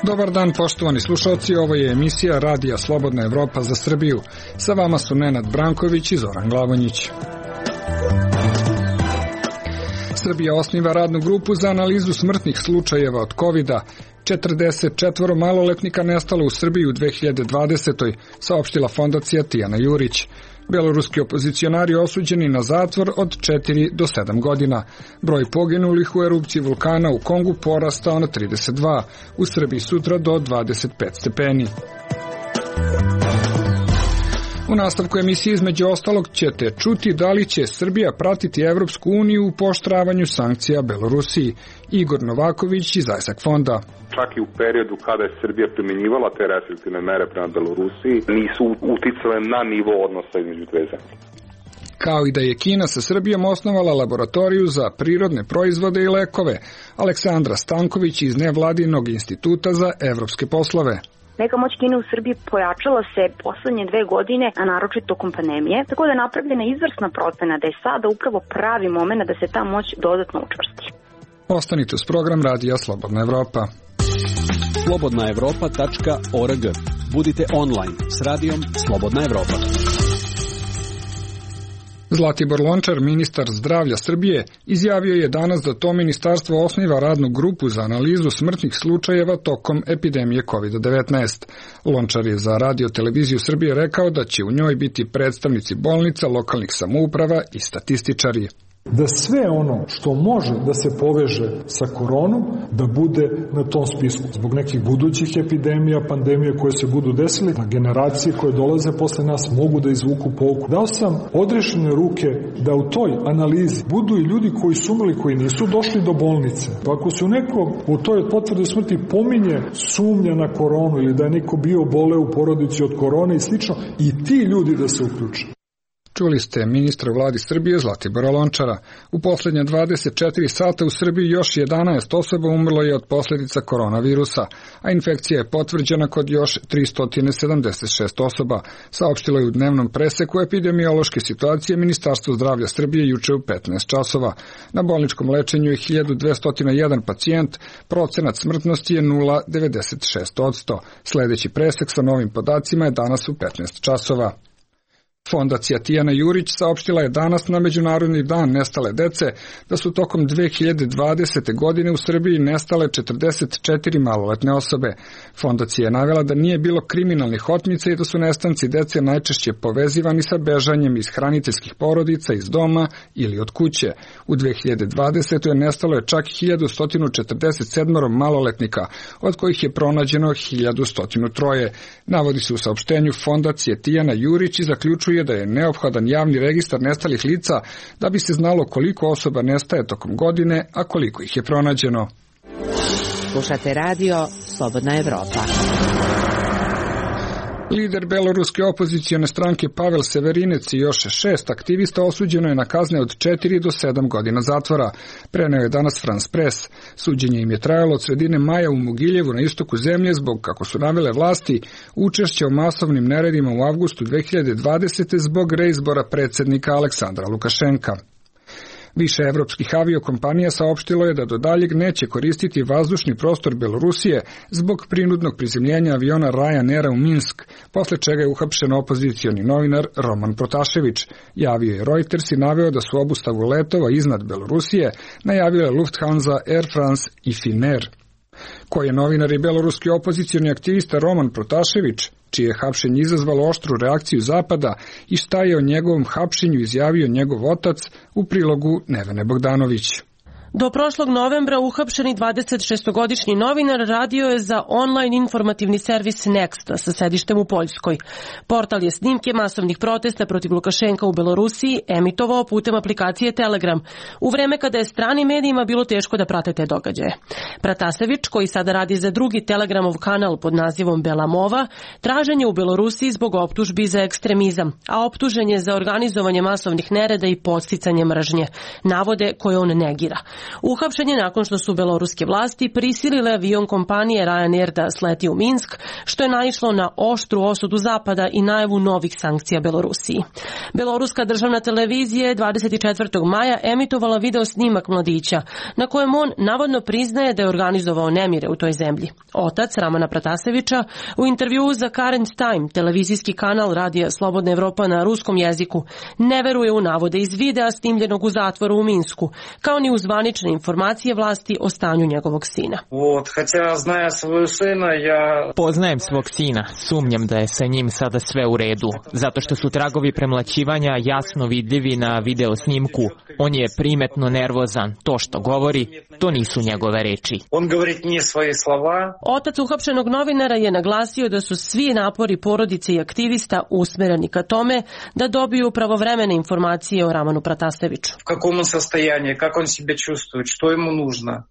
Dobar dan, poštovani slušalci, ovo je emisija Radija Slobodna Evropa za Srbiju. Sa vama su Nenad Branković i Zoran Glavonjić. Srbija osniva radnu grupu za analizu smrtnih slučajeva od COVID-a. 44 maloletnika nestalo u Srbiji u 2020. saopštila fondacija Tijana Jurić. Beloruski opozicionari osuđeni na zatvor od 4 do 7 godina. Broj poginulih u erupciji vulkana u Kongu porastao na 32, u Srbiji sutra do 25 stepeni. U nastavku emisije između ostalog ćete čuti da li će Srbija pratiti Evropsku uniju u pooštravanju sankcija Belorusiji. Igor Novaković iz ISAC fonda. Čak i u periodu kada je Srbija primjenjivala te restriktivne mere prema Belorusiji, nisu uticale na nivo odnosa između dve zemlje. Kao i da je Kina sa Srbijom osnovala laboratoriju za prirodne proizvode i lekove. Aleksandra Stanković iz Nevladinog instituta za evropske poslove. Neka moć Kine u Srbiji pojačala se poslednje 2 godine, a naročito tokom pandemije, tako da je napravljena izvrsna procena da je sada upravo pravi moment da se ta moć dodatno učvrsti. Ostanite uz program Radija Slobodna Evropa. slobodnaevropa.org. Budite online s radijom Slobodna Evropa. Zlatibor Lončar, ministar zdravlja Srbije, izjavio je danas da to ministarstvo osniva radnu grupu za analizu smrtnih slučajeva tokom epidemije COVID-19. Lončar je za Radio Televiziju Srbije rekao da će u njoj biti predstavnici bolnica, lokalnih samouprava i statističari. Da sve ono što može da se poveže sa koronom, da bude na tom spisku. Zbog nekih budućih epidemija, pandemija koje se budu desili, da generacije koje dolaze posle nas mogu da izvuku pouku. Dao sam odrešene ruke da u toj analizi budu i ljudi koji su umrli, koji nisu došli do bolnice. Ako se u nekom u toj potvrdi smrti pominje sumnja na koronu ili da je neko bio bole u porodici od korone i slično, i ti ljudi da se uključe. Čuli ste ministra vladi Srbije Zlatibora Lončara. U poslednje 24 sata u Srbiji još 11 osoba umrlo je od posljedica koronavirusa, a infekcija je potvrđena kod još 376 osoba, saopštilo je u dnevnom preseku epidemiološke situacije Ministarstvo zdravlja Srbije juče u 15 časova. Na bolničkom lečenju je 1201 pacijent, procenat smrtnosti je 0,96%. Sledeći presek sa novim podacima je danas u 15 časova. Fondacija Tijana Jurić saopštila je danas na Međunarodni dan nestale dece da su tokom 2020. godine u Srbiji nestale 44 maloletne osobe. Fondacija je navela da nije bilo kriminalnih otmica i da su nestanci dece najčešće povezivani sa bežanjem iz hraniteljskih porodica, iz doma ili od kuće. U 2020. nestalo je čak 1147 maloletnika, od kojih je pronađeno 1103. Navodi se u saopštenju Fondacije Tijana Jurić i zaključuje da je neophodan javni registar nestalih lica da bi se znalo koliko osoba nestaje tokom godine, a koliko ih je pronađeno. Slušate radio Slobodna Evropa. Lider beloruske opozicione stranke Pavel Severinec i još 6 aktivista osuđeno je na kazne od 4 do 7 godina zatvora. Preneo je danas France Press. Suđenje im je trajalo od sredine maja u Mogiljevu na istoku zemlje zbog, kako su navele vlasti, učešća u masovnim neredima u avgustu 2020. zbog reizbora predsjednika Aleksandra Lukašenka. Više evropskih aviokompanija saopštilo je da do daljeg neće koristiti vazdušni prostor Belorusije zbog prinudnog prizemljenja aviona Ryanaira u Minsk, posle čega je uhapšen opozicioni novinar Roman Protašević. Javio je Reuters i naveo da su obustavu letova iznad Belorusije najavile Lufthansa, Air France i Finnair. Koji je novinar i beloruski opozicioni aktivista Roman Protašević, čije hapšenje izazvalo oštru reakciju Zapada i šta je o njegovom hapšenju izjavio njegov otac, u prilogu Nevene Bogdanović. Do prošlog novembra uhapšeni 26-godišnji novinar radio je za online informativni servis Next sa sedištem u Poljskoj. Portal je snimke masovnih protesta protiv Lukašenka u Belorusiji emitovao putem aplikacije Telegram, u vreme kada je stranim medijima bilo teško da prate te događaje. Pratasević, koji sada radi za drugi Telegramov kanal pod nazivom Belamova, tražen je u Belorusiji zbog optužbi za ekstremizam, a optužen je za organizovanje masovnih nereda i podsticanje mržnje, navode koje on negira. Uhapšen je nakon što su beloruske vlasti prisilile avion kompanije Ryanair da sleti u Minsk, što je naišlo na oštru osudu Zapada i najavu novih sankcija Belorusiji. Beloruska državna televizija je 24. maja emitovala video snimak mladića, na kojem on navodno priznaje da je organizovao nemire u toj zemlji. Otac Ramana Pratasevića u intervjuu za Current Time, televizijski kanal Radija Slobodna Evropa na ruskom jeziku, ne veruje u navode iz videa snimljenog u zatvoru u Minsku, kao ni u zvanične informacije vlasti o stanju njegovog sina. Poznajem svog sina, sumnjam da je sa njim sada sve u redu, zato što su tragovi premlaćivanja jasno vidljivi na video snimku. On je primetno nervozan, to što govori, to nisu njegove reči. Otac uhapšenog novinara je naglasio da su svi napori porodice i aktivista usmereni ka tome da dobiju pravovremene informacije o Ramanu Prataseviću.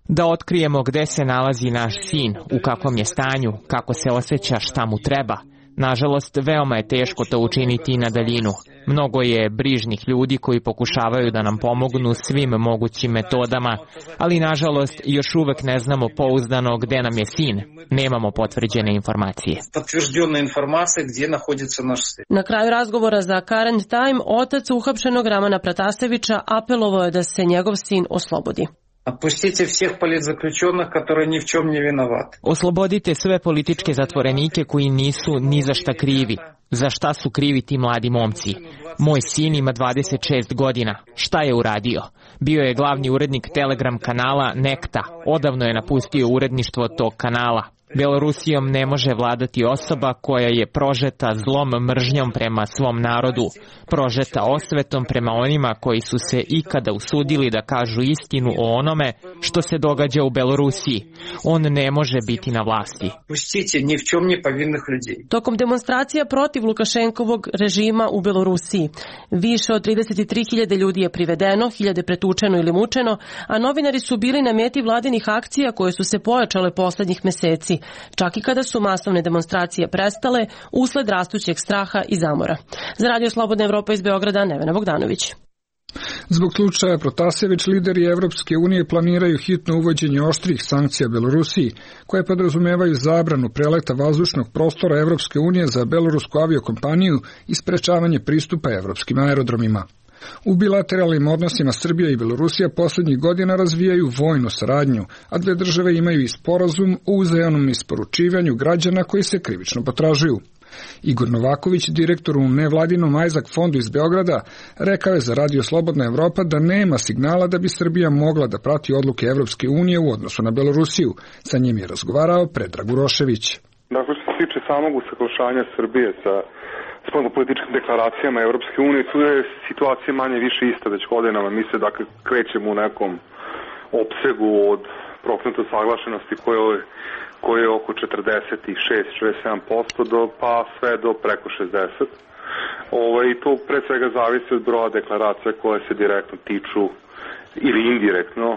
Da otkrijemo gde se nalazi naš sin, u kakvom je stanju, kako se osjeća, šta mu treba. Nažalost, veoma je teško to učiniti na daljinu. Mnogo je brižnih ljudi koji pokušavaju da nam pomognu svim mogućim metodama, ali nažalost još uvek ne znamo pouzdano gde nam je sin. Nemamo potvrđene informacije. Na kraju razgovora za Current Time, otac uhapšenog Ramana Pratasevića apelovao je da se njegov sin oslobodi. Oslobodite sve političke zatvorenike koji nisu ni za šta krivi. Za šta su krivi ti mladi momci? Moj sin ima 26 godina. Šta je uradio? Bio je glavni urednik Telegram kanala Nekta. Odavno je napustio uredništvo tog kanala. Belorusijom ne može vladati osoba koja je prožeta zlom mržnjom prema svom narodu, prožeta osvetom prema onima koji su se ikada usudili da kažu istinu o onome što se događa u Belorusiji. On ne može biti na vlasti. Tokom demonstracija protiv Lukašenkovog režima u Belorusiji, više od 33.000 ljudi je privedeno, 1.000 pretučeno ili mučeno, a novinari su bili na meti vladinih akcija koje su se pojačale poslednjih meseci, čak i kada su masovne demonstracije prestale usled rastućeg straha i zamora. Za Radio Slobodna Evropa iz Beograda, Nevena Bogdanović. Zbog slučaja Protasević, lideri Evropske unije planiraju hitno uvođenje oštrih sankcija Belorusiji, koje podrazumevaju zabranu preleta vazdušnog prostora Evropske unije za belorusku aviokompaniju i sprečavanje pristupa evropskim aerodromima. U bilateralnim odnosima Srbija i Belorusija poslednjih godina razvijaju vojnu saradnju, a dve države imaju i sporazum o uzajamnom isporučivanju građana koji se krivično potražuju. Igor Novaković, direktor u nevladinom Ajzak fondu iz Beograda, rekao je za Radio Slobodna Evropa da nema signala da bi Srbija mogla da prati odluke Evropske unije u odnosu na Belorusiju. Sa njim je razgovarao Predrag Urošević. Dakle, što se tiče samog usaglašanja Srbije sa spoljnopolitičkim deklaracijama Evropske unije, tu je situacija manje više ista već godinama. Mi se dakle krećemo u nekom opsegu od procenta saglašenosti koje je oko 46-47% pa sve do preko 60%. I to pre svega zavisi od broja deklaracija koje se direktno tiču ili indirektno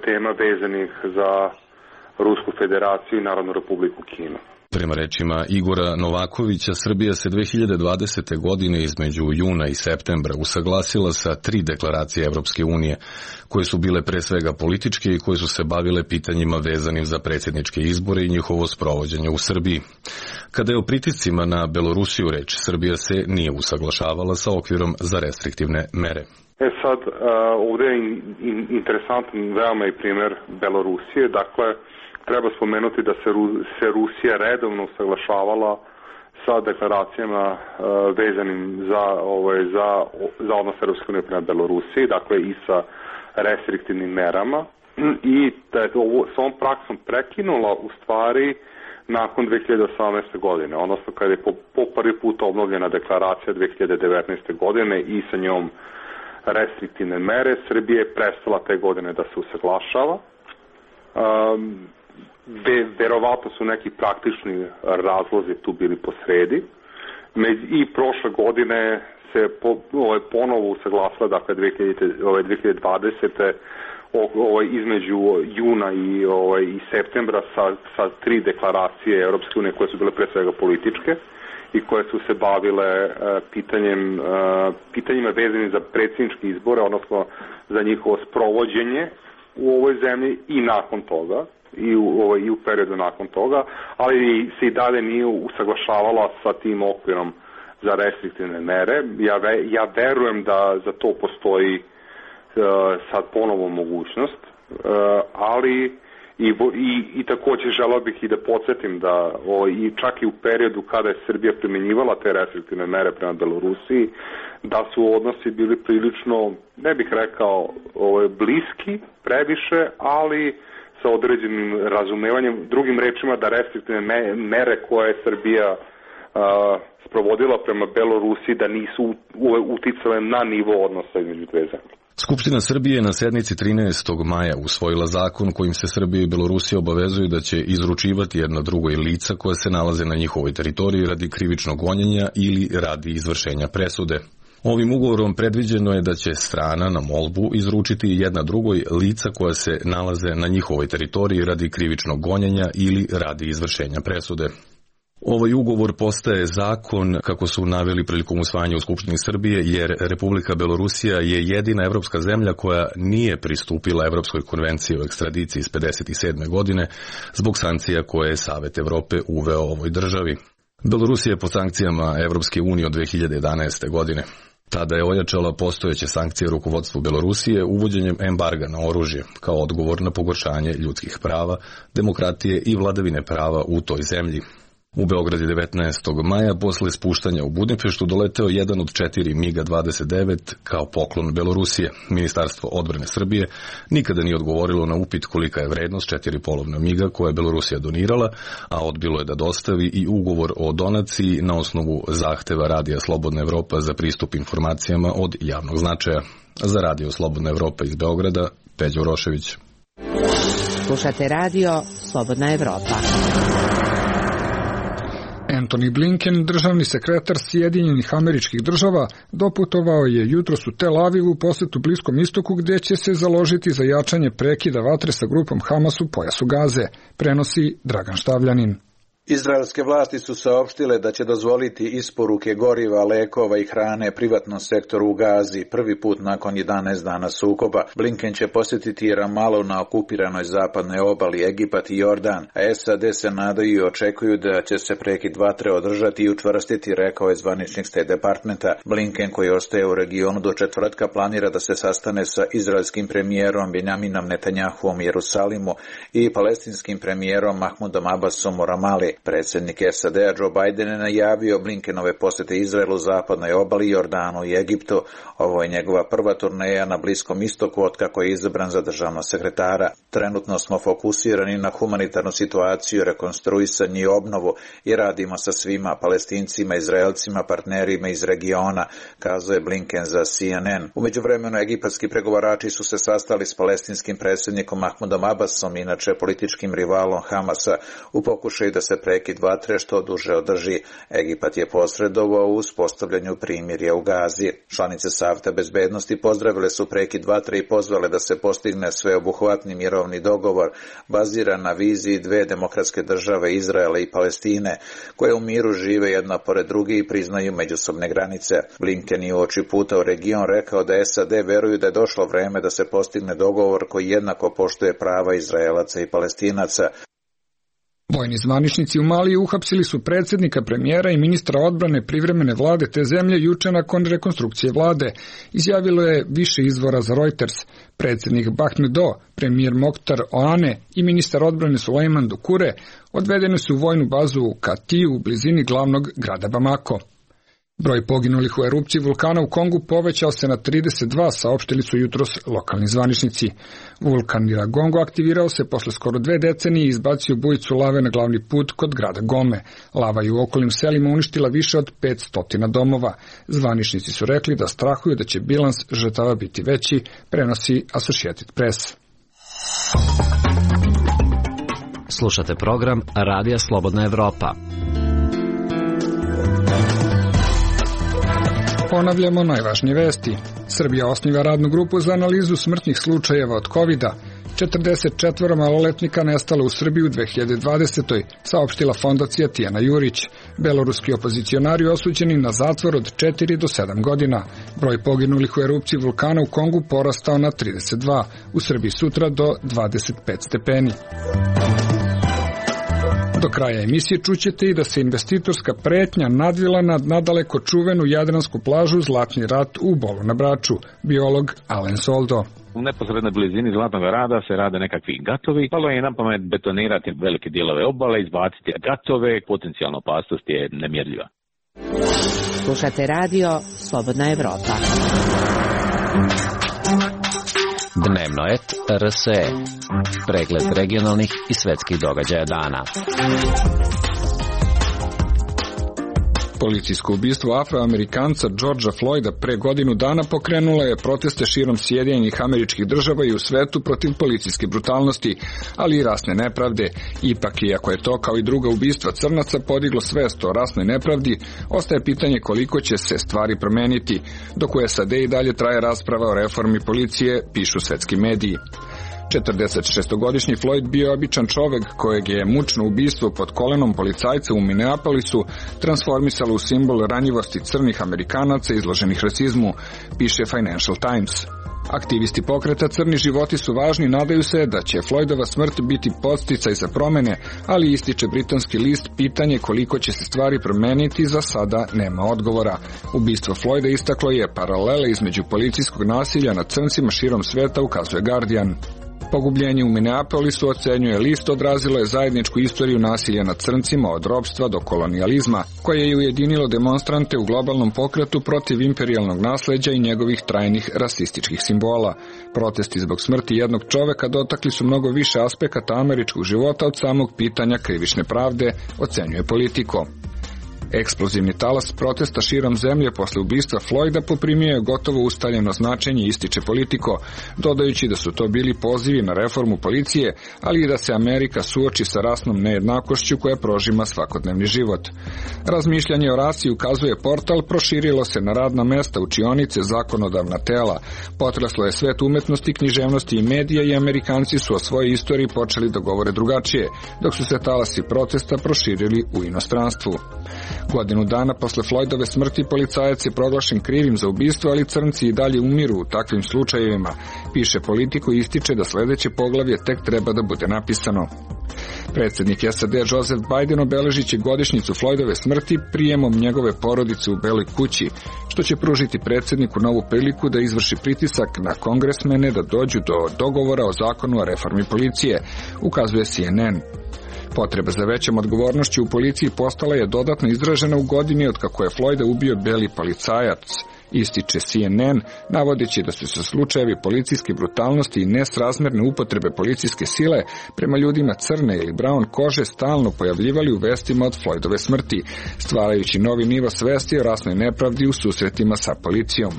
tema vezanih za Rusku federaciju i Narodnu republiku Kinu. Prema rečima Igora Novakovića, Srbija se 2020. godine između juna i septembra usaglasila sa 3 deklaracije Evropske unije, koje su bile pre svega političke i koje su se bavile pitanjima vezanim za predsjedničke izbore i njihovo sprovođenje u Srbiji. Kada je o pritiscima na Belorusiju reč, Srbija se nije usaglašavala sa okvirom za restriktivne mere. Sad, ovdje je interesantan veoma i primjer Belorusije, dakle, treba spomenuti da se Rusija redovno usaglašavala sa deklaracijama vezanim za odnos Europske unije prema Belorusiji, dakle i sa restriktivnim merama, i da je s ovom praksom prekinula u stvari nakon 2018. godine, odnosno kada je po prvi put obnovljena deklaracija 2019. godine i sa njom restriktivne mere, Srbija je prestala te godine da se usaglašava. Verovatno su neki praktični razlozi tu bili posredi i prošle godine se ponovo usaglasila, dakle 2020. između juna i septembra sa 3 deklaracije Europske unije koje su bile pre svega političke i koje su se bavile pitanjima vezanim za predsjedničke izbore, odnosno za njihovo sprovođenje u ovoj zemlji i nakon toga, i u periodu nakon toga, ali se i dalje nije usaglašavala sa tim okvirom za restriktivne mere. Ja verujem da za to postoji sad ponovo mogućnost, ali i također želeo bih i da podsjetim da i čak i u periodu kada je Srbija primjenjivala te restriktivne mere prema Belorusiji, da su odnosi bili prilično, ne bih rekao bliski previše, ali sa određenim razumevanjem, drugim rečima da restriktivne mere koje je Srbija sprovodila prema Belorusiji da nisu uticale na nivo odnosa između dve zemlje. Skupština Srbije na sednici 13. maja usvojila zakon kojim se Srbija i Belorusija obavezuju da će izručivati jedno drugoj lica koja se nalaze na njihovoj teritoriji radi krivičnog gonjenja ili radi izvršenja presude. Ovim ugovorom predviđeno je da će strana na molbu izručiti jedna drugoj lica koja se nalaze na njihovoj teritoriji radi krivičnog gonjenja ili radi izvršenja presude. Ovaj ugovor postaje zakon, kako su naveli prilikom usvajanja u Skupštini Srbije, jer Republika Belorusija je jedina evropska zemlja koja nije pristupila Evropskoj konvenciji o ekstradiciji iz 1957. godine zbog sankcija koje je Savet Evrope uveo ovoj državi. Belorusija je pod sankcijama Evropske unije od 2011. godine. Tada je ojačala postojeće sankcije rukovodstvu Belorusije uvođenjem embarga na oružje kao odgovor na pogoršanje ljudskih prava, demokratije i vladavine prava u toj zemlji. U Beograd je 19. maja posle spuštanja u Budimpeštu doleteo jedan od 4 MiG-29 kao poklon Belorusije. Ministarstvo odbrane Srbije nikada nije odgovorilo na upit kolika je vrednost 4 polovna MiG-a koje je Belorusija donirala, a odbilo je da dostavi i ugovor o donaciji na osnovu zahteva Radija Slobodna Evropa za pristup informacijama od javnog značaja. Za Radio Slobodna Evropa iz Beograda, Peđa Urošević. Slušate Radio Slobodna Evropa. Antony Blinken, državni sekretar Sjedinjenih Američkih Država, doputovao je jutros u Tel Avivu u posetu Bliskom istoku gdje će se založiti za jačanje prekida vatre sa grupom Hamas u pojasu Gaze, prenosi Dragan Štavljanin. Izraelske vlasti su saopštile da će dozvoliti isporuke goriva, lekova i hrane privatnom sektoru u Gazi prvi put nakon 11 dana sukoba. Blinken će posjetiti Ramalu na okupiranoj zapadnoj obali, Egipat i Jordan, a SAD se nadaju i očekuju da će se prekid vatre održati i učvrstiti, rekao je zvaničnik State Departmenta. Blinken, koji ostaje u regionu do četvrtka, planira da se sastane sa izraelskim premijerom Benjaminom Netanjahuom u Jerusalimu i palestinskim premijerom Mahmudom Abbasom u Ramali. Predsjednik SAD-a Joe Biden je najavio Blinkenove posjete Izraelu, zapadnoj obali, Jordanu i Egiptu. Ovo je njegova prva turneja na Bliskom istoku otkako je izabran za državnog sekretara. Trenutno smo fokusirani na humanitarnu situaciju, rekonstruisanje i obnovu i radimo sa svima, Palestincima, Izraelcima, partnerima iz regiona, kazao je Blinken za CNN. U međuvremenu egipatski pregovarači su se sastali s palestinskim predsjednikom Mahmudom Abbasom, inače političkim rivalom Hamasa, u pokušaju da se prekid vatre što duže održi. Egipat je posredovao u uspostavljanju primirja u Gazi. Članice Saveta bezbednosti pozdravile su prekid vatre i pozvale da se postigne sveobuhvatni mirovni dogovor baziran na viziji dve demokratske države, Izraela i Palestine, koje u miru žive jedna pored druge i priznaju međusobne granice. Blinken je uoči puta u region rekao da SAD veruju da je došlo vreme da se postigne dogovor koji jednako poštuje prava Izraelaca i Palestinaca. Vojni zvaničnici u Maliji uhapsili su predsjednika, premijera i ministra odbrane privremene vlade te zemlje juče nakon rekonstrukcije vlade, izjavilo je više izvora za Reuters. Predsjednik Bahmedo, premijer Mokhtar Oane i ministar odbrane Sulejman Dukure odvedeni su u vojnu bazu u Katiju u blizini glavnog grada Bamako. Broj poginulih u erupciji vulkana u Kongu povećao se na 32, saopštili su jutros lokalni zvaničnici. Vulkan Iragongo aktivirao se posle skoro 2 decenije i izbacio bujicu lave na glavni put kod grada Gome. Lava je u okolnim selima uništila više od 500 domova. Zvaničnici su rekli da strahuju da će bilans žrtava biti veći, prenosi Associated Press. Slušate program Radija Slobodna Evropa. Ponavljamo najvažnije vesti. Srbija osniva radnu grupu za analizu smrtnih slučajeva od COVID-a. 44 maloletnika nestalo u Srbiji u 2020. saopštila fondacija Tijana Jurić. Beloruski opozicionari osuđeni na zatvor od 4 do 7 godina. Broj poginulih u erupciji vulkana u Kongu porastao na 32, u Srbiji sutra do 25 stepeni. Do kraja emisije čućete i da se investitorska pretnja nadvila nad nadaleko čuvenu jadransku plažu Zlatni rat u Bolu na Braču, biolog Alen Soldo. U neposrednoj blizini Zlatnog rada se rade nekakvi gatovi. Palo je na pamet betonirati velike dijelove obale, izbaciti gatove, potencijalna opasnost je nemjerljiva. Slušate radio Slobodna Evropa. Dnevnoet RSE. Pregled regionalnih i svetskih događaja dana. Policijsko ubistvo Afroamerikanca Georgea Floyda pre godinu dana pokrenulo je proteste širom Sjedinjenih Američkih Država i u svetu protiv policijske brutalnosti, ali i rasne nepravde. Ipak, iako je to kao i druga ubistva crnaca podiglo svest o rasnoj nepravdi, ostaje pitanje koliko će se stvari promeniti, dok u SAD i dalje traje rasprava o reformi policije, pišu svetski mediji. 46-godišnji Floyd bio je običan čovek kojeg je mučno ubistvo pod kolenom policajca u Minneapolisu transformisalo u simbol ranjivosti crnih Amerikanaca izloženih rasizmu, piše Financial Times. Aktivisti pokreta Crni životi su važni, nadaju se da će Floydova smrt biti podsticaj za promene, ali ističe britanski list pitanje koliko će se stvari promeniti za sada nema odgovora. Ubistvo Floyda istaklo je paralele između policijskog nasilja nad crncima širom sveta, ukazuje Guardian. Pogubljenje u Minneapolisu, ocenjuje list, odrazilo je zajedničku istoriju nasilja nad crncima od ropstva do kolonijalizma, koje je ujedinilo demonstrante u globalnom pokretu protiv imperijalnog nasleđa i njegovih trajnih rasističkih simbola. Protesti zbog smrti jednog čoveka dotakli su mnogo više aspekata američkog života od samog pitanja krivične pravde, ocenjuje Politico. Eksplozivni talas protesta širom zemlje posle ubistva Floyda poprimio je gotovo ustaljeno značenje, ističe Politico, dodajući da su to bili pozivi na reformu policije, ali i da se Amerika suoči sa rasnom nejednakošću koja prožima svakodnevni život. Razmišljanje o rasi, ukazuje portal, proširilo se na radna mesta, učionice, zakonodavna tela. Potreslo je svet umetnosti, književnosti i medija i Amerikanci su o svojoj istoriji počeli da govore drugačije, dok su se talasi protesta proširili u inostranstvu. Godinu dana posle Floydove smrti policajac je proglašen krivim za ubistvo, ali crnci i dalje umiru u takvim slučajevima, piše Politico i ističe da sledeće poglavlje tek treba da bude napisano. Predsjednik SAD Joseph Biden obeležiće godišnjicu Floydove smrti prijemom njegove porodice u Beloj kući, što će pružiti predsjedniku novu priliku da izvrši pritisak na kongresmene da dođu do dogovora o zakonu o reformi policije, ukazuje CNN. Potreba za većom odgovornošću u policiji postala je dodatno izražena u godini od kako je Floyda ubio beli policajac, ističe CNN, navodeći da su se slučajevi policijske brutalnosti i nesrazmerne upotrebe policijske sile prema ljudima crne ili brown kože stalno pojavljivali u vestima od Floydove smrti, stvarajući novi nivo svesti o rasnoj nepravdi u susretima sa policijom.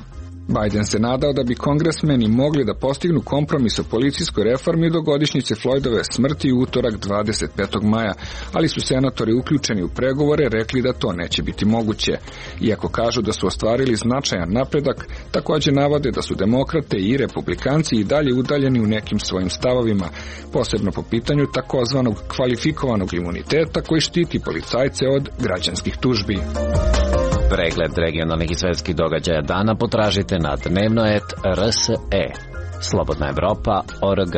Biden se nadao da bi kongresmeni mogli da postignu kompromis o policijskoj reformi do godišnjice Floydove smrti u utorak 25. maja, ali su senatori uključeni u pregovore rekli da to neće biti moguće. Iako kažu da su ostvarili značajan napredak, također navode da su demokrate i republikanci i dalje udaljeni u nekim svojim stavovima, posebno po pitanju takozvanog kvalifikovanog imuniteta koji štiti policajce od građanskih tužbi. Pregled regionalnih i svetskih događaja dana potražite na Dnevnoet RSE. Slobodna Evropa.org.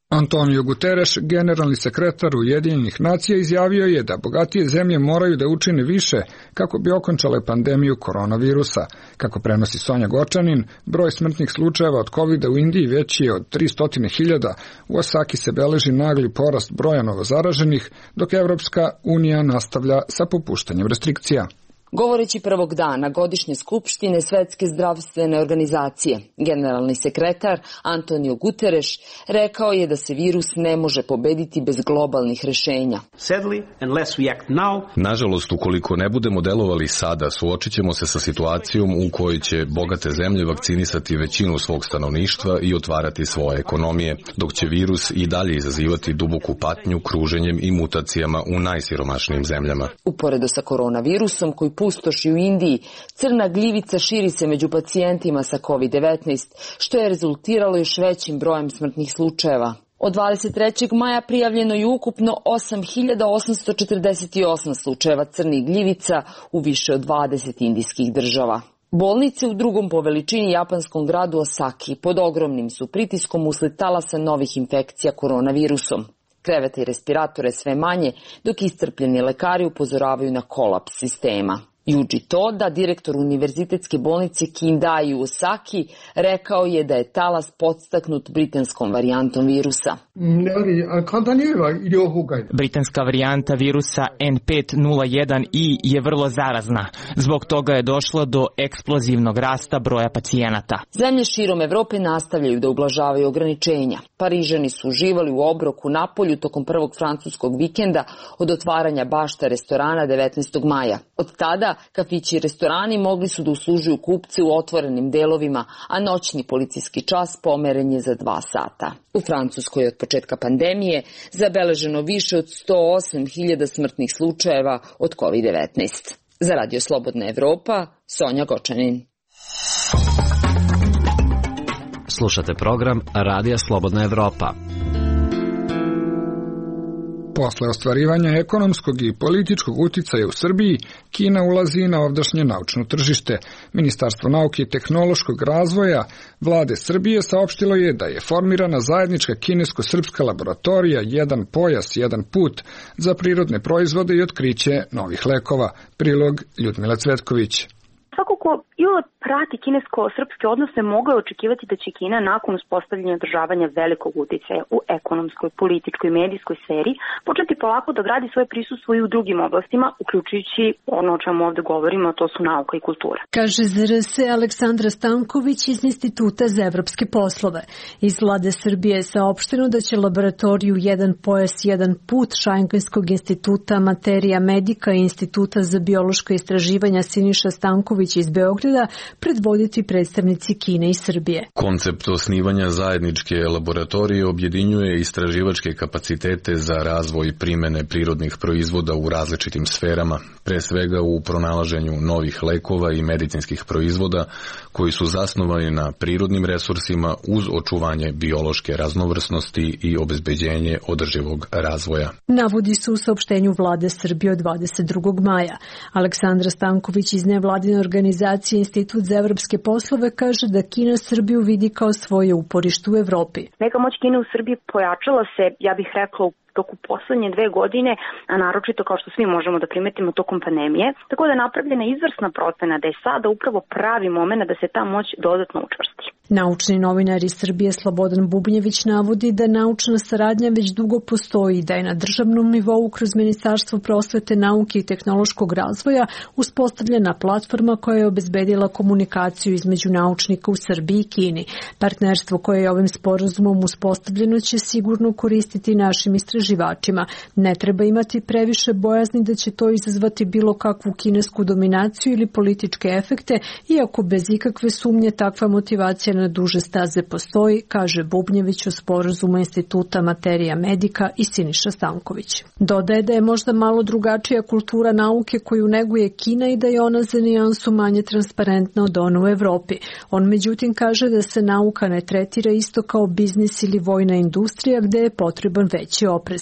Antonio Guterres, generalni sekretar Ujedinjenih nacija, izjavio je da bogatije zemlje moraju da učine više kako bi okončale pandemiju koronavirusa. Kako prenosi Sonja Gočanin, broj smrtnih slučajeva od COVID-a u Indiji veći je od 300.000, u Osaki se beleži nagli porast broja novozaraženih, dok Evropska unija nastavlja sa popuštanjem restrikcija. Govoreći prvog dana godišnje skupštine Svetske zdravstvene organizacije, generalni sekretar Antonio Guterres rekao je da se virus ne može pobediti bez globalnih rešenja. Nažalost, ukoliko ne budemo delovali sada, suočit ćemo se sa situacijom u kojoj će bogate zemlje vakcinisati većinu svog stanovništva i otvarati svoje ekonomije, dok će virus i dalje izazivati duboku patnju kruženjem i mutacijama u najsiromašnijim zemljama. Uporedo sa koronavirusom koji pustoši u Indiji, crna gljivica širi se među pacijentima sa COVID-19, što je rezultiralo još većim brojem smrtnih slučajeva. Od 23. maja prijavljeno je ukupno 8.848 slučajeva crnih gljivica u više od 20 indijskih država. Bolnice u drugom po veličini japanskom gradu Osaki pod ogromnim su pritiskom usled talasa novih infekcija koronavirusom. Kreveta i respiratore sve manje, dok iscrpljeni lekari upozoravaju na kolaps sistema. Yuji Toda, direktor univerzitetske bolnice Kindai u Osaki, rekao je da je talas podstaknut britanskom varijantom virusa. Britanska varijanta virusa N501i je vrlo zarazna. Zbog toga je došlo do eksplozivnog rasta broja pacijenata. Zemlje širom Evrope nastavljaju da ublažavaju ograničenja. Parižani su uživali u obroku napolju tokom prvog francuskog vikenda od otvaranja bašta restorana 19. maja. Od tada kafići i restorani mogli su da uslužuju kupce u otvorenim delovima, a noćni policijski čas pomeren je za 2 sata. U Francuskoj je od početka pandemije zabeleženo više od 108.000 smrtnih slučajeva od COVID-19. Za Radio Slobodna Evropa, Sonja Gočanin. Slušate program Radija Slobodna Evropa. Posle ostvarivanja ekonomskog i političkog uticaja u Srbiji, Kina ulazi na ovdašnje naučno tržište. Ministarstvo nauke i tehnološkog razvoja vlade Srbije saopštilo je da je formirana zajednička kinesko-srpska laboratorija Jedan pojas, jedan put za prirodne proizvode i otkriće novih lekova. Prilog Ljudmila Cvetković. Svako ko iole prati kinesko-srpske odnose mogao je očekivati da će Kina nakon uspostavljanja i održavanja velikog uticaja u ekonomskoj, političkoj i medijskoj sferi početi polako da gradi svoje prisustvo i u drugim oblastima, uključujući ono o čemu ovde govorimo, a to su nauka i kultura. Kaže za RS Aleksandra Stanković iz Instituta za evropske poslove. Iz vlade Srbije je saopšteno da će laboratoriju Jedan pojas, jedan put Šajnkenskog instituta Materija Medika i Instituta za biološko istraživanja Siniša Stanković iz Beograda predvoditi predstavnici Kine i Srbije. Koncept osnivanja zajedničke laboratorije objedinjuje istraživačke kapacitete za razvoj primene prirodnih proizvoda u različitim sferama, pre svega u pronalaženju novih lekova i medicinskih proizvoda koji su zasnovani na prirodnim resursima uz očuvanje biološke raznovrsnosti i obezbeđenje održivog razvoja. Navodi se u saopštenju vlade Srbije od 22. maja. Aleksandra Stanković iz nevladine organizacije Institut za evropske poslove kaže da Kina Srbiju vidi kao svoje uporište u Evropi. Neka moć Kine u Srbiji pojačala se, ja bih rekla, u toku poslednje 2 godine, a naročito kao što svi možemo da primetimo tokom pandemije, tako da je napravljena izvrsna procena da je sada upravo pravi moment da se ta moć dodatno učvrsti. Naučni novinar iz Srbije Slobodan Bubnjević navodi da naučna saradnja već dugo postoji i da je na državnom nivou kroz Ministarstvo prosvete, nauke i tehnološkog razvoja uspostavljena platforma koja je obezbedila komunikaciju između naučnika u Srbiji i Kini. Partnerstvo koje je ovim sporazumom uspostavljeno će sigurno koristiti našim istraživačima. Ne treba imati previše bojazni da će to izazvati bilo kakvu kinesku dominaciju ili političke efekte, iako bez ikakve sumnje takva motivacija na duže staze postoji, kaže Bubnjević o sporazumu Instituta Materija Medika i Siniša Stanković. Dodaje da je možda malo drugačija kultura nauke koju neguje Kina i da je ona za nijansu manje transparentna od one u Evropi. On međutim kaže da se nauka ne tretira isto kao biznis ili vojna industrija gde je potreban veći oprez.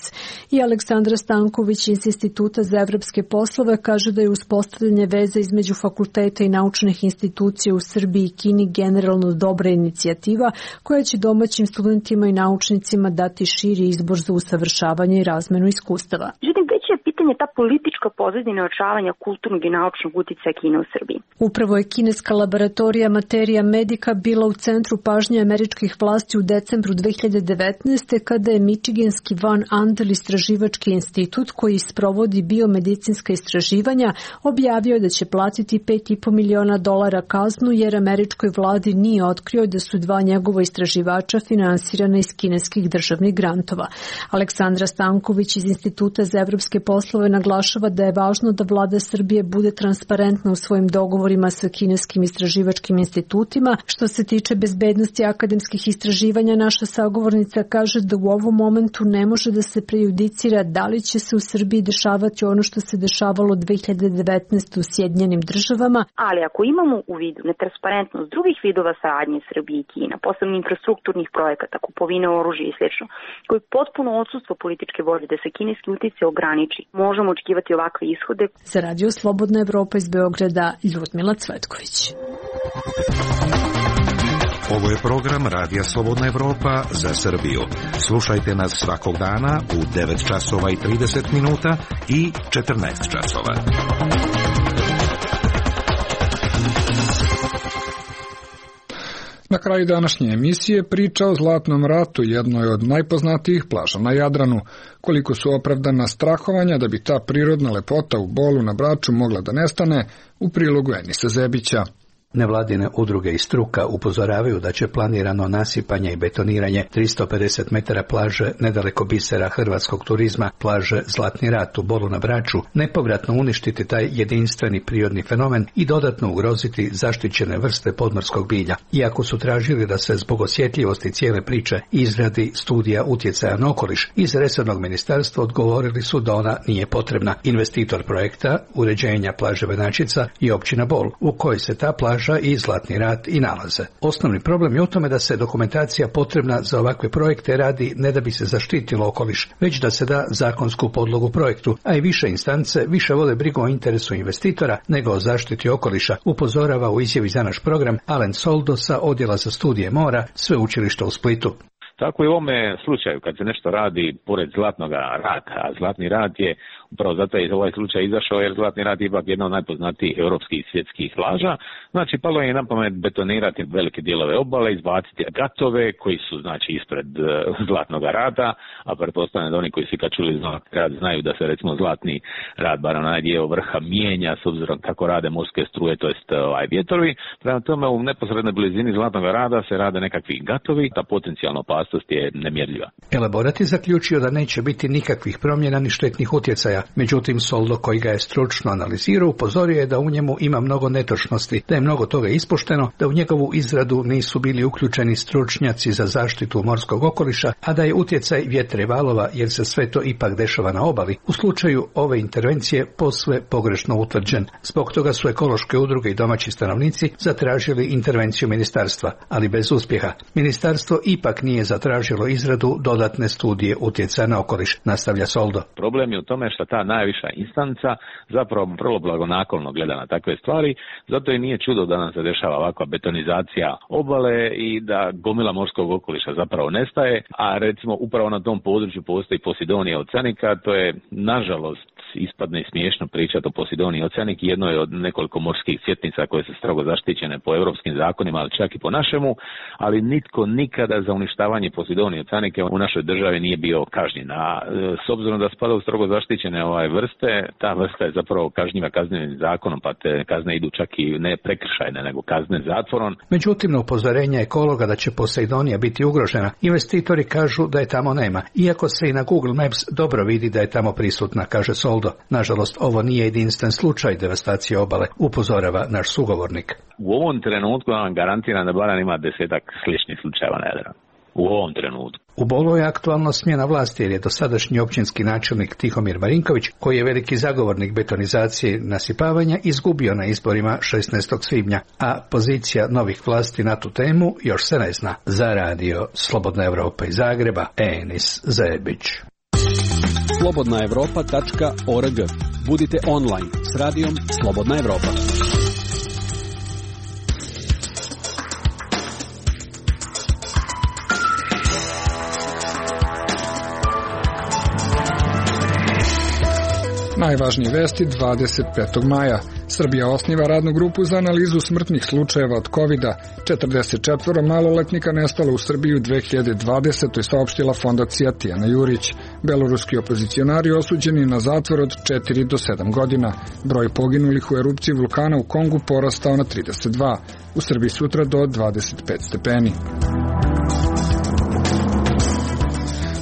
I Aleksandra Stanković iz Instituta za evropske poslove kaže da je uspostavljanje veze između fakulteta i naučnih institucija u Srbiji i Kini generalno dobra inicijativa koja će domaćim studentima i naučnicima dati širi izbor za usavršavanje i razmenu iskustava. Međutim, već je pitanje ta politička pozadina očavanja kulturnog i naučnog uticaja Kine u Srbiji. Upravo je kineska laboratorija Materija Medika bila u centru pažnje američkih vlasti u decembru 2019. kada je Michiganski Van Andel istraživački institut koji sprovodi biomedicinska istraživanja objavio da će platiti $5,5 miliona kaznu jer američkoj vladi nije otkrio da su 2 njegova istraživača finansirana iz kineskih državnih grantova. Aleksandra Stanković iz Instituta za evropske poslove poslova naglašava da je važno da vlada Srbije bude transparentna u svojim dogovorima sa kineskim istraživačkim institutima. Što se tiče bezbednosti akademskih istraživanja, naša sagovornica kaže da u ovom momentu ne može da se prejudicira da li će se u Srbiji dešavati ono što se dešavalo 2019. u Sjedinjenim Državama. Ali ako imamo u vidu netransparentnost drugih vidova saradnje Srbije i Kina, posebno infrastrukturnih projekata, kupovine oružja i sl., koji potpuno odsustvo političke volje da se kineski uticaj ograniči, možemo očekivati ovakve ishode. Za Radio Slobodna Evropa iz Beograda, Ljudmila Cvetković. Ovo je program Radija Slobodna Evropa za Srbiju. Slušajte nas svakog dana u 9 časova i 30 minuta i 14 časova. Na kraju današnje emisije priča o Zlatnom ratu, jednoj od najpoznatijih plaža na Jadranu. Koliko su opravdana strahovanja da bi ta prirodna lepota u Bolu na Braču mogla da nestane, u prilogu Enisa Zebića. Nevladine udruge i struka upozoravaju da će planirano nasipanje i betoniranje 350 metara plaže nedaleko bisera hrvatskog turizma, plaže Zlatni rat u Bolu na Braču, nepovratno uništiti taj jedinstveni prirodni fenomen i dodatno ugroziti zaštićene vrste podmorskog bilja. Iako su tražili da se zbog osjetljivosti cijele priče izradi studija utjecaja na okoliš, iz resornog ministarstva odgovorili su da ona nije potrebna. Investitor projekta uređenja plaže Venačica i općina Bol, u kojoj se ta plaža i Zlatni rat i nalaze. Osnovni problem je u tome da se dokumentacija potrebna za ovakve projekte radi ne da bi se zaštitilo okoliš, već da se da zakonsku podlogu projektu, a i više instance više vode brigu o interesu investitora nego o zaštiti okoliša, upozorava u izjavi za naš program Alen Soldo sa Odjela za studije mora Sveučilišta u Splitu. Tako i u ovome slučaju, kad se nešto radi pored Zlatnog rata, a Zlatni rat je upravo zato je ovaj slučaj izašao, jer Zlatni rat je ipak jedna od najpoznatijih europskih i svjetskih plaža. Znači, palo je na pamet betonirati velike dijelove obale, izbaciti gatove koji su, znači, ispred Zlatnog rata, a pretpostavljam da oni koji su kad čuli Zlatni rat znaju da se, recimo, Zlatni rat, bar onaj dio vrha, mijenja s obzirom kako rade morske struje, to jest vjetrovi. Prema tome, u neposrednoj blizini Zlatnog rada se rade nekakvi gatovi, ta potencijalna opasnost je nemjerljiva. Elaborat je zaključio da neće biti nikakvih promjena ni štetnih utjecaja. Međutim, Soldo, koji ga je stručno analizirao, upozorio je da u njemu ima mnogo netočnosti, da je mnogo toga ispušteno, da u njegovu izradu nisu bili uključeni stručnjaci za zaštitu morskog okoliša, a da je utjecaj vjetra i valova, jer se sve to ipak dešava na obali, u slučaju ove intervencije posve pogrešno utvrđen. Zbog toga su ekološke udruge i domaći stanovnici zatražili intervenciju ministarstva, ali bez uspjeha. Ministarstvo ipak nije zatražilo izradu dodatne studije utjecaja na okoliš, nastavlja Soldo. Problem je u tome što ta najviša instanca zapravo vrlo blagonaklono gleda na takve stvari, zato i nije čudo da nam se dešava ovakva betonizacija obale i da gomila morskog okoliša zapravo nestaje, a recimo upravo na tom području postoji Posidonija oceanica, to je nažalost ispadne smiješno pričati o Posidoniji oceanik, jedno je od nekoliko morskih svjetnica koje su strogo zaštićene po europskim zakonima, ali čak i po našemu, ali nitko nikada za uništavanje Posidonije oceanike u našoj državi nije bio kažnjen. A s obzirom da spada u strogo zaštićene vrste, ta vrsta je zapravo kažnjiva kaznenim zakonom, pa te kazne idu čak i ne prekršajne, nego kazne zatvorom. Međutim, na upozorenje ekologa da će Poseidonija biti ugrožena, investitori kažu da je tamo nema, iako se i na Google Maps dobro vidi da je tamo prisutna, kaže Soldo. Nažalost, ovo nije jedinstven slučaj devastacije obale, upozorava naš sugovornik. U ovom trenutku vam garantiram da barem ima 10-ak sličnih slučajeva na Jadranu. U ovom trenutku. U Bolu je aktualno smjena vlasti jer je dosadašnji općinski načelnik Tihomir Marinković, koji je veliki zagovornik betonizacije nasipavanja, izgubio na izborima 16. svibnja, a pozicija novih vlasti na tu temu još se ne zna. Za Radio Slobodna Evropa iz Zagreba, Enis Zebić. slobodnaevropa.org. Budite online s radijom Slobodna Evropa. Najvažnije vesti 25. maja. Srbija osniva radnu grupu za analizu smrtnih slučajeva od COVID-a. 44 maloletnika nestalo u Srbiji u 2020. saopštila fondacija Tijana Jurić. Beloruski opozicionari osuđeni na zatvor od 4 do 7 godina. Broj poginulih u erupciji vulkana u Kongu porastao na 32. U Srbiji sutra do 25 stepeni.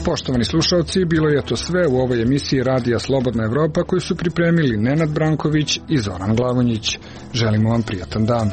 Poštovani slušalci, bilo je to sve u ovoj emisiji Radija Slobodna Evropa koju su pripremili Nenad Branković i Zoran Glavonjić. Želimo vam prijatan dan.